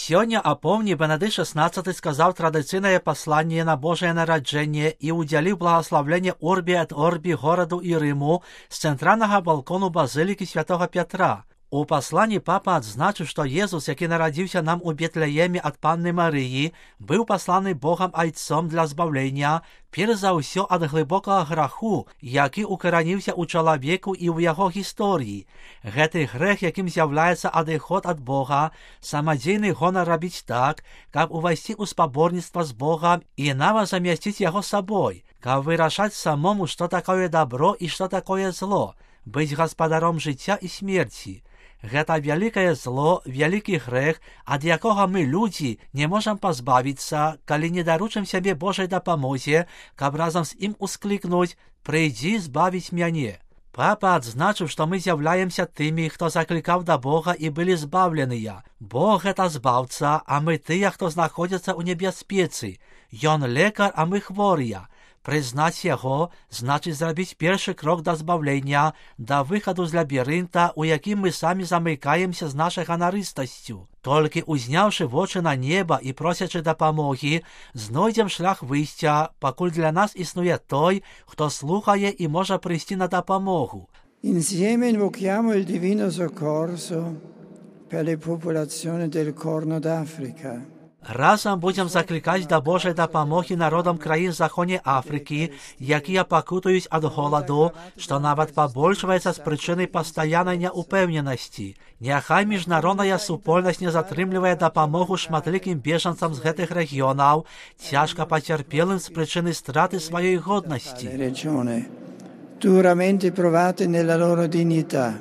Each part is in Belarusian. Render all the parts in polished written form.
Сёння апомні Бенедикт XVI сказаў традыцыйнае пасланне на Божае нараджэнне і ўдзяліў благаслаўленне Орбі ад Орбі гораду і Рыму з цэнтральнага балкону базылікі святого Пятра. У пасланні папа адзначыў, што Езус, які нарадзіўся нам у Бетлееме ад Панны Марыі, быў пасланы Богам Айцом для збаўлення, перш за ўсё ад глыбокага граху, які укараніўся ў чалавеку і ў яго гісторыі. Гэты грэх, якім з'яўляецца адыход ад Бога, самадзейны гонар рабіць так, каб увайсці ў спаборніцтва з Богам і нават замясціць яго сабой, каб вырашаць самому, што такое добро і што такое зло, быць гаспадаром жыцця і смерці. Гэта вялікае зло, вялікі грэх, ад якога мы, людзі, не можам пазбавіцца, калі не даручым сябе Божай дапамозе, каб разам з ім усклікнуць «Прыйдзі збавіць мяне». Папа адзначыў, што мы з'яўляемся тымі, хто заклікаў да Бога і былі збаўленыя. Бог — гэта збаўца, а мы тыя, хто знаходзяцца ў небяспецы. Ён лекар, а мы хворыя. Прызнаць яго значыць зрабіць першы крок да збаўлення, да выхаду з лабірынта, у якім мы самі замыкаемся з нашай ганарыстасцю. Толькі узняўшы вочы на неба і просячы дапамогі, знойдзем шлях выйсця, пакуль для нас існуе той, хто слухае і можа прыйсці на дапамогу. Insieme invochiamo il divino soccorso per le popolazioni del Corno d'Africa. Разам будзем заклікаць да Божай дапамогі народам краін Заходняй Афрыкі, якія пакутаюць ад голаду, што нават пабольшваецца з прычыны пастаяннай няўпэўненасці. Няхай міжнародная супольнасць не затрымлівае дапамогу шматлікім бежанцам з гэтых рэгіёнаў, цяжка пацярпелым з прычыны страты сваёй годнасці. Duramente provate nella loro dignità.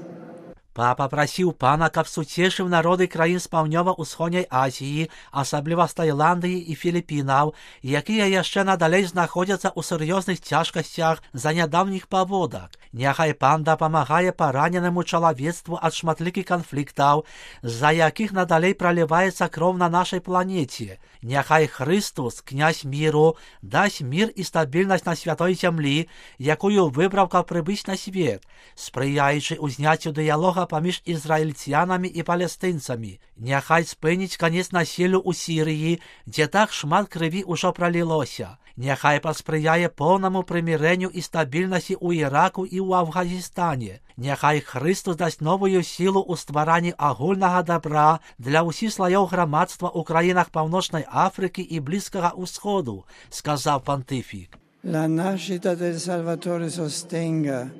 Папа прасіў пана, каб суцешыў народы краін з паўднёва-ўсходняй Азіі, асабліва з Таіландыі і Філіпінаў, якія яшчэ надалей знаходзяцца ў сур'ёзных цяжкасцях за нядаўніх паводак. Няхай пан дапамагае параненаму чалавецтву ад шматлікіх канфліктаў, з-за якіх надалей праліваецца кроў на нашай планеце. Няхай Христос, князь міру, дасць мір і стабільнасць на святой зямлі, якую выбраў, каб прыбыць на свет, спрыяючы ўзняццю дыялога паміж ізраільцянамі і палестынцамі. Няхай спыніць канец насіллю ў Сірыі, дзе так шмат крыві ўжо пралілося. Няхай паспрыяе поўнаму прымірэнню і стабільнасці ў Іраку і ў Афганістане. Няхай Христос дасць новую сілу ў стваранні агульнага добра для ўсіх слаёў грамадства ў краінах Паўночнай Афрыкі і Блізкага ўсходу, сказаў пантыфік. La nascita del Salvatore sostenga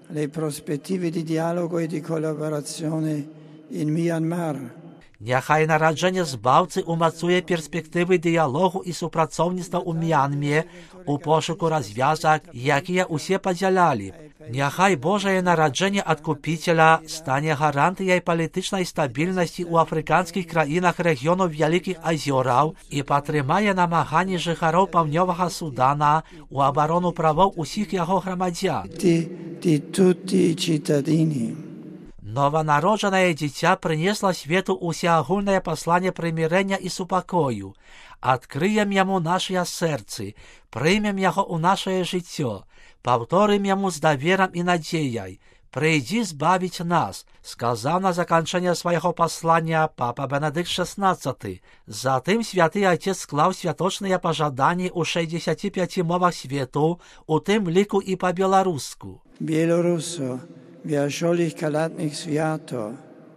le prospettive di dialogo e di collaborazione in Myanmar. Няхай нараджэнне збаўцы умацуе перспектывы дыялогу і супрацоўніцтва ў Мьянме у пошуку развязак, якія ўсе падзялялі. Няхай Божае нараджэнне адкупіцеля стане гарантыяй палітычнай стабільнасці ў афрыканскіх краінах рэгіёну Вялікіх азёраў і падтрымае намаганні жыхароў Паўднёвага Судана ў абарону правоў усіх яго грамадзян. Di tutti i cittadini. Нованароджанае дзіця прынесла свету усеагульнае пасланне прымірэння і супакою. Адкрыем яму нашыя сэрцы, прымем яго ў нашае жыццё, паўторым яму з даверам і надзеяй. «Прыйдзі збавіць нас», сказаў на заканчэнне свайго паслання папа Бенедыкт XVI. Затым святы Айцец склаў святочныя пажаданні ў 65 мовах свету, у тым ліку і па-беларуску. Bielorrusso, vi ascioli calatnik sviato.